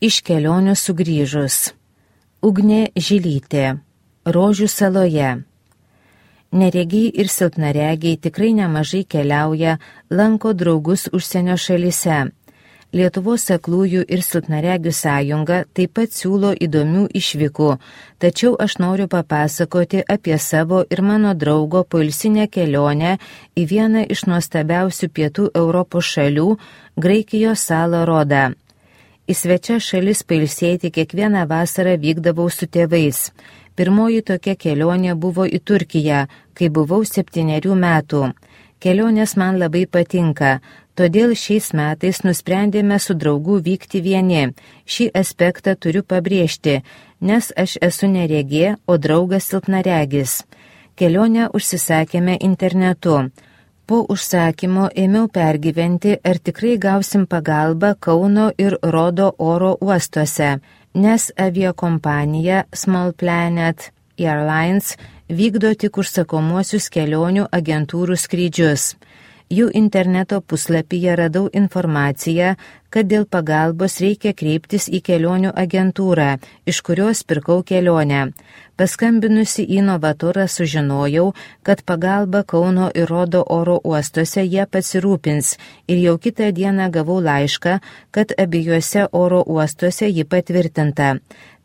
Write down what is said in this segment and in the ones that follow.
Iš kelionių sugrįžus. Ugnė Žilytė. Rožių saloje. Neregiai ir silpnaregiai tikrai nemažai keliauja, lanko draugus užsienio šalyse. Lietuvos aklųjų ir silpnaregių sąjunga taip pat siūlo įdomių išvykų, tačiau aš noriu papasakoti apie savo ir mano draugo poilsinę kelionę į vieną iš nuostabiausių pietų Europos šalių, Graikijos salą Rodą. Į svečias šalis pailsėti kiekvieną vasarą vykdavau su tėvais. Pirmoji tokia kelionė buvo į Turkiją, kai buvau 7 metų. Kelionės man labai patinka, todėl šiais metais nusprendėme su draugu vykti vieni. Šį aspektą turiu pabrėžti, nes aš esu neregė, o draugas silpnaregis. Kelionę užsisakėme internetu. Po užsakymo ėmiau pergyventi, ar tikrai gausim pagalbą Kauno ir Rodo oro uostuose, nes aviakompanija Small Planet Airlines vykdo tik užsakomuosius kelionių agentūrų skrydžius. Jų interneto puslapyje radau informaciją, kad dėl pagalbos reikia kreiptis į kelionių agentūrą, iš kurios pirkau kelionę. Paskambinusi į Novatorą sužinojau, kad pagalba Kauno ir Rodo oro uostuose jie pasirūpins ir jau kitą dieną gavau laišką, kad abiejose oro uostuose ji patvirtinta.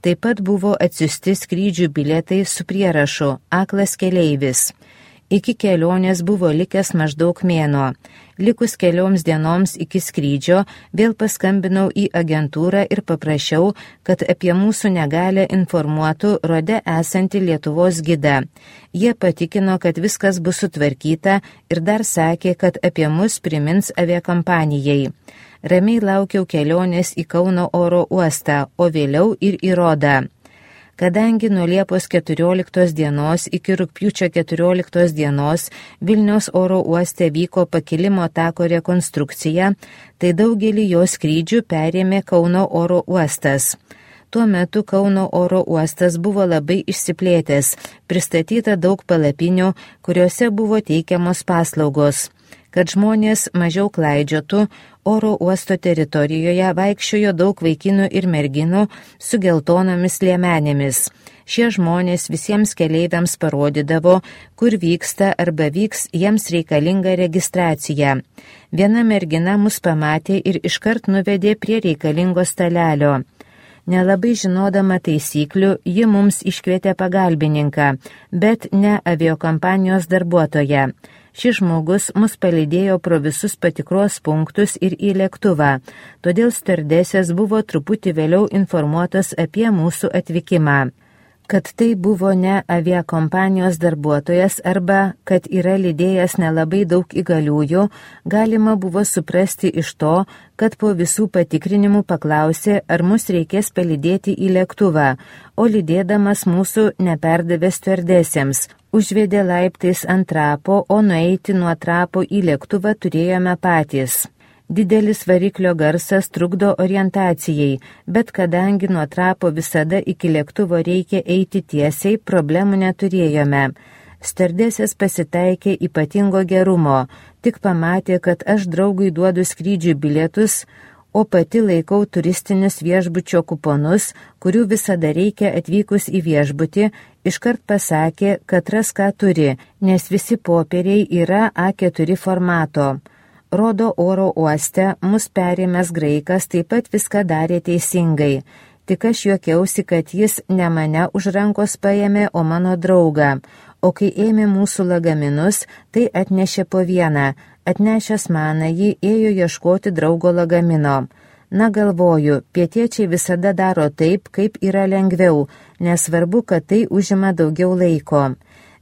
Taip pat buvo atsiųsti skrydžių bilietai su prierašu "Aklas keleivis". Iki kelionės buvo likęs maždaug mėnuo. Likus kelioms dienoms iki skrydžio vėl paskambinau į agentūrą ir paprašiau, kad apie mūsų negalę informuotų Rode esantį Lietuvos gidą. Jie patikino, kad viskas bus sutvarkyta ir dar sakė, kad apie mus primins aviakompanijai. Ramiai laukiau kelionės į Kauno oro uostą, o vėliau ir į Rodą. Kadangi nuo Liepos 14 dienos iki rugpjūčio 14 dienos Vilniaus oro uoste vyko pakilimo tako rekonstrukcija, tai daugelį jo skrydžių perėmė Kauno oro uostas. Tuo metu Kauno oro uostas buvo labai išsiplėtęs, pristatyta daug palapinių, kuriuose buvo teikiamos paslaugos. Kad žmonės mažiau klaidžiotų, oro uosto teritorijoje vaikščiojo daug vaikinų ir merginų su geltonomis liemenėmis. Šie žmonės visiems keleiviams parodydavo, kur vyksta arba vyks jiems reikalinga registracija. Viena mergina mus pamatė ir iškart nuvedė prie reikalingo stalelio. Nelabai žinodama taisyklių, ji mums iškvietė pagalbininką, bet ne aviakompanijos darbuotoją. Šis žmogus mus palydėjo pro visus patikros punktus ir į lėktuvą, todėl stiuardesės buvo truputį vėliau informuotos apie mūsų atvykimą. Kad tai buvo ne aviakompanijos darbuotojas arba kad yra lydėjęs nelabai daug įgaliųjų, galima buvo suprasti iš to, kad po visų patikrinimų paklausė, ar mus reikės palydėti į lėktuvą, o lydėdamas mūsų neperdavė stiuardesėms. Užvedė laiptais ant trapo, o nueiti nuo trapo į lėktuvą turėjome patys. Didelis variklio garsas trukdo orientacijai, bet kadangi nuo trapo visada iki lėktuvo reikia eiti tiesiai, problemų neturėjome. Stiuardesės pasitaikė ypatingo gerumo, tik pamatė, kad aš draugui duodu skrydžių bilietus, o pati laikau turistinius viešbučio kuponus, kurių visada reikia atvykus į viešbutį, iškart pasakė, kad ras ką turi, nes visi popieriai yra A4 formato. Rodo oro uoste mus perėmęs graikas taip pat viską darė teisingai. Tik aš juokiausi, kad jis ne mane už rankos paėmė, o mano draugą. O kai ėmė mūsų lagaminus, tai atnešė po vieną. Atnešęs maną jį ėjo ieškoti draugo lagamino. Na galvoju, pietiečiai visada daro taip, kaip yra lengviau, nesvarbu, kad tai užima daugiau laiko.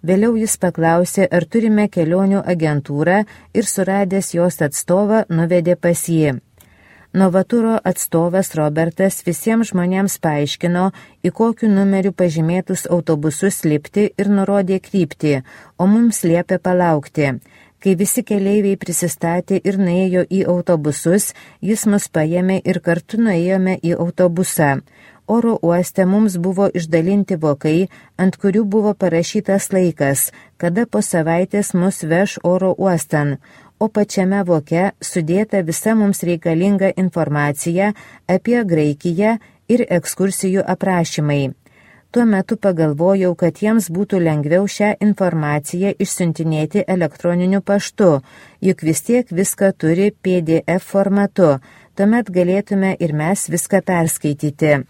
Vėliau jis paklausė, ar turime kelionių agentūrą ir suradęs jos atstovą nuvedė pas jį. Novaturo atstovas Robertas visiems žmonėms paaiškino, į kokiu numeriu pažymėtus autobusus lipti ir nurodė kryptį, o mums liepė palaukti. Kai visi keleiviai prisistatė ir nuėjo į autobusus, jis mus paėmė ir kartu nuėjome į autobusą. Oro uoste mums buvo išdalinti vokai, ant kurių buvo parašytas laikas, kada po savaitės mus veš oro uostan, o pačiame voke sudėta visa mums reikalinga informacija apie Graikiją ir ekskursijų aprašymai. Tuo metu pagalvojau, kad jiems būtų lengviau šią informaciją išsiuntinėti elektroniniu paštu, juk vis tiek viską turi PDF formatu, tuomet galėtume ir mes viską perskaityti.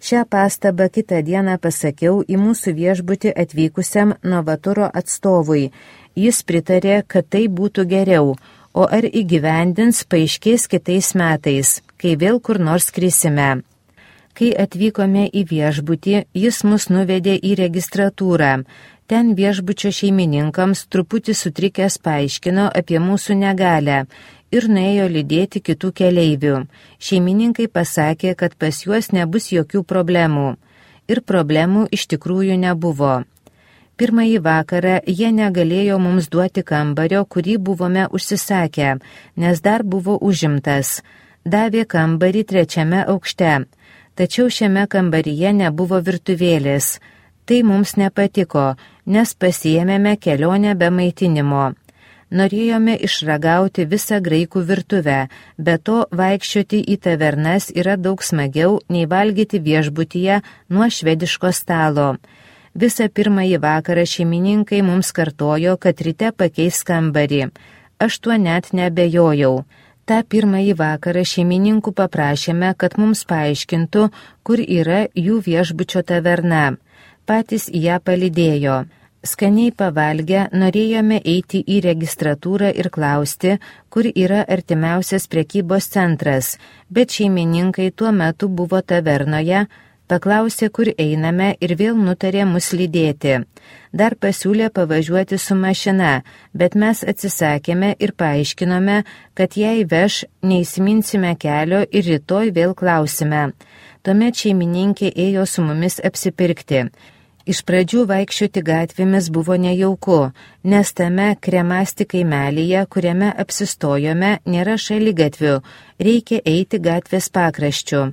Šią pastabą kitą dieną pasakiau į mūsų viešbutį atvykusiam Novaturo atstovui. Jis pritarė, kad tai būtų geriau, o ar įgyvendins paaiškės kitais metais, kai vėl kur nors skrisime. Kai atvykome į viešbutį, jis mus nuvedė į registratūrą. Ten viešbučio šeimininkams truputį sutrikęs paaiškino apie mūsų negalią ir nuėjo lydėti kitų keleivių. Šeimininkai pasakė, kad pas juos nebus jokių problemų. Ir problemų iš tikrųjų nebuvo. Pirmąjį vakarą jie negalėjo mums duoti kambario, kurį buvome užsisakę, nes dar buvo užimtas. Davė kambarį 3. aukšte. Tačiau šiame kambaryje nebuvo virtuvėlės. Tai mums nepatiko, nes pasiėmėme kelionę be maitinimo. Norėjome išragauti visą graikų virtuvę, be to vaikščioti į tavernas yra daug smagiau nei valgyti viešbutyje nuo švediško stalo. Visą pirmąjį vakarą šeimininkai mums kartojo, kad ryte pakeis kambarį. Aš tuo net nebejojau. Ta pirmąjį vakarą šeimininkų paprašėme, kad mums paaiškintų, kur yra jų viešbučio taverna. Patys ją palydėjo. Skaniai pavalgę norėjome eiti į registratūrą ir klausti, kur yra artimiausias prekybos centras, bet šeimininkai tuo metu buvo tavernoje, paklausė, kur einame ir vėl nutarė mus lydėti. Dar pasiūlė pavažiuoti su mašina, bet mes atsisakėme ir paaiškinome, kad jei veš, neįsiminsime kelio ir rytoj vėl klausime. Tuomet šeimininkė ėjo su mumis apsipirkti. Iš pradžių vaikščioti gatvėmis buvo nejauku, nes tame Kremasti kaimelyje, kuriame apsistojome, nėra šaligatvių, reikia eiti gatvės pakraščiu.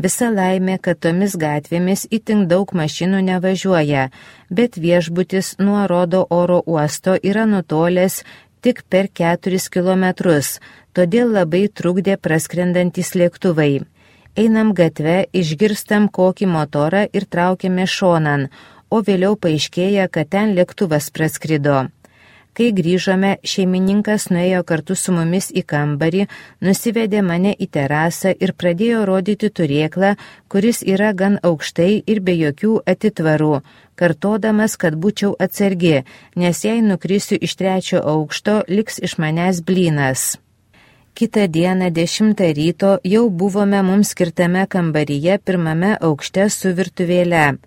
Visa laimė, kad tomis gatvėmis itin daug mašinų nevažiuoja, bet viešbutis nuo Rodo oro uosto yra nutolęs tik per 4 kilometrus, todėl labai trukdė praskrendantys lėktuvai. Einam gatve, išgirstam kokį motorą ir traukiame šonan, o vėliau paaiškėja, kad ten lėktuvas praskrido. Kai grįžome, šeimininkas nuėjo kartu su mumis į kambarį, nusivedė mane į terasą ir pradėjo rodyti turėklą, kuris yra gan aukštai ir be jokių atitvarų, kartodamas, kad būčiau atsargi, nes jei nukrisiu iš 3. aukšto, liks iš manęs blynas. Kitą dieną 10 ryto jau buvome mums skirtame kambaryje 1. aukšte su virtuvėle.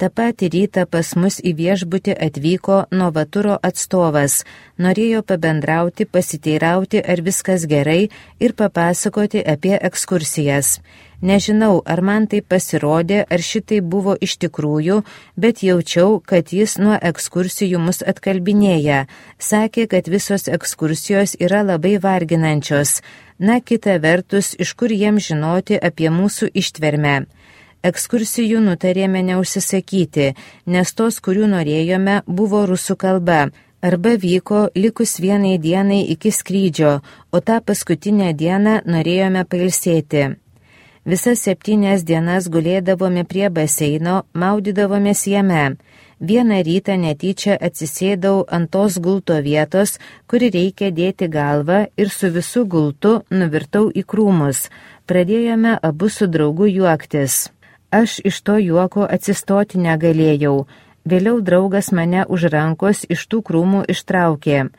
Ta patį rytą pas mus į viešbutį atvyko Novaturo atstovas, norėjo pabendrauti, pasiteirauti, ar viskas gerai ir papasakoti apie ekskursijas. Nežinau, ar man tai pasirodė, ar šitai buvo iš tikrųjų, bet jaučiau, kad jis nuo ekskursijų mus atkalbinėja. Sakė, kad visos ekskursijos yra labai varginančios. Na, kita vertus, iš kur jiems žinoti apie mūsų ištvermę. Ekskursijų nutarėme neužsisakyti, nes tos, kurių norėjome, buvo rusų kalba, arba vyko likus 1 dienai iki skrydžio, o tą paskutinę dieną norėjome pailsėti. Visas 7 dienas gulėdavome prie baseino, maudydavomės jame. Vieną rytą netyčia atsisėdau ant tos gulto vietos, kuri reikia dėti galvą ir su visu gultu nuvirtau į krūmus. Pradėjome abu su draugu juoktis. Aš iš to juoko atsistoti negalėjau. Vėliau draugas mane už rankos iš tų krūmų ištraukė.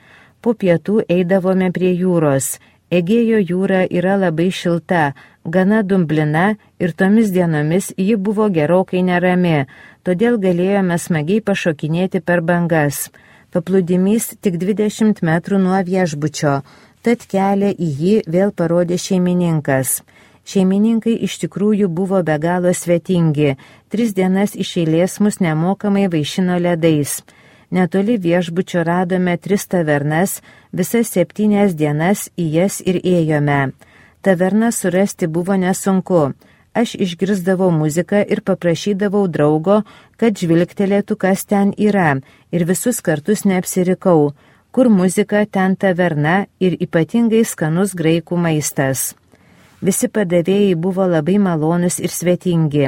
Po pietų eidavome prie jūros. Egėjo jūra yra labai šilta, gana dumblina ir tomis dienomis ji buvo gerokai nerami, todėl galėjome smagiai pašokinėti per bangas. Paplūdimys tik 20 metrų nuo viešbučio, tad kelią į jį vėl parodė šeimininkas. Šeimininkai iš tikrųjų buvo be galo svetingi, 3 dienas iš eilės mus nemokamai vaišino ledais. Netoli viešbučio radome 3 tavernas, visas 7 dienas į jas ir ėjome. Taverną surasti buvo nesunku. Aš išgirsdavau muziką ir paprašydavau draugo, kad žvilgtelėtų, kas ten yra, ir visus kartus neapsirikau. Kur muzika, ten taverna ir ypatingai skanus graikų maistas. Visi padavėjai buvo labai malonus ir svetingi.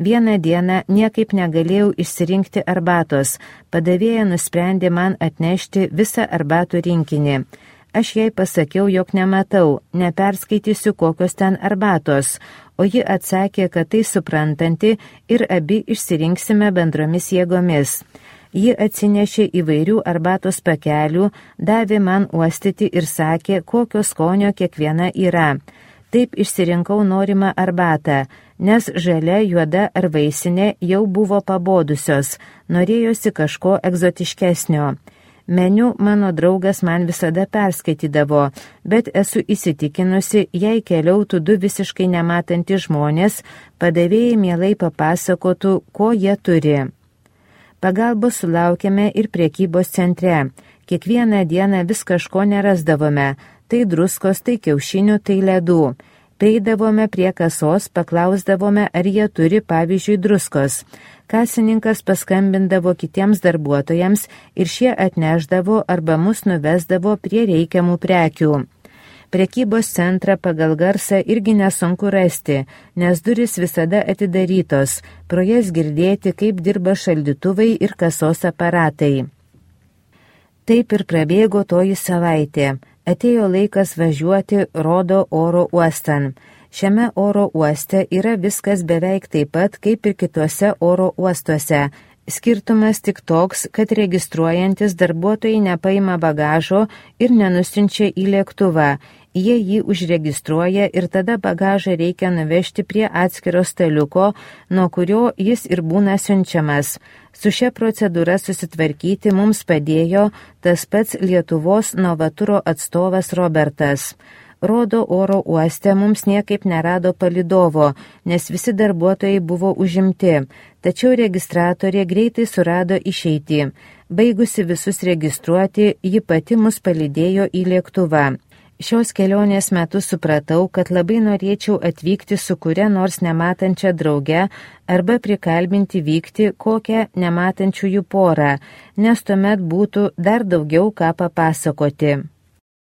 Vieną dieną niekaip negalėjau išsirinkti arbatos. Padavėja nusprendė man atnešti visą arbatų rinkinį. Aš jai pasakiau, jog nematau, neperskaitysiu kokios ten arbatos, o ji atsakė, kad tai suprantanti ir abi išsirinksime bendromis jėgomis. Ji atsinešė įvairių arbatos pakelių, davė man uostyti ir sakė, kokio skonio kiekviena yra. Taip išsirinkau norimą arbatą, nes žalia, juoda ar vaisinė jau buvo pabodusios, norėjosi kažko egzotiškesnio. Meniu mano draugas man visada perskaitydavo, bet esu įsitikinusi, jei keliautų du visiškai nematantys žmonės, padavėjai mielai papasakotų, ko jie turi. Pagalbos sulaukėme ir prekybos centre. Kiekvieną dieną vis kažko nerasdavome, tai druskos, tai kiaušinių, tai ledų. Prieidavome prie kasos, paklausdavome, ar jie turi, pavyzdžiui, druskos. Kasininkas paskambindavo kitiems darbuotojams ir šie atneždavo arba mus nuvesdavo prie reikiamų prekių. Prekybos centrą pagal garsą irgi nesunku rasti, nes durys visada atidarytos, pro jas girdėti, kaip dirba šaldytuvai ir kasos aparatai. Taip ir prabėgo toji savaitė. Atėjo laikas važiuoti Rodo oro uostan. Šiame oro uoste yra viskas beveik taip pat, kaip ir kituose oro uostuose. Skirtumas tik toks, kad registruojantis darbuotojai nepaima bagažo ir nenusiunčia į lėktuvą. Jie jį užregistruoja ir tada bagažą reikia nuvežti prie atskiro staliuko, nuo kurio jis ir būna siunčiamas. Su šia procedūra susitvarkyti mums padėjo tas pats Lietuvos Novaturo atstovas Robertas. Rodo oro uoste mums niekaip nerado palidovo, nes visi darbuotojai buvo užimti, tačiau registratorė greitai surado išeitį. Baigusi visus registruoti, ji pati mus palydėjo į lėktuvą. Šios kelionės metu supratau, kad labai norėčiau atvykti su kuria nors nematančia drauge arba prikalbinti vykti kokią nematančiųjų porą, nes tuomet būtų dar daugiau ką papasakoti.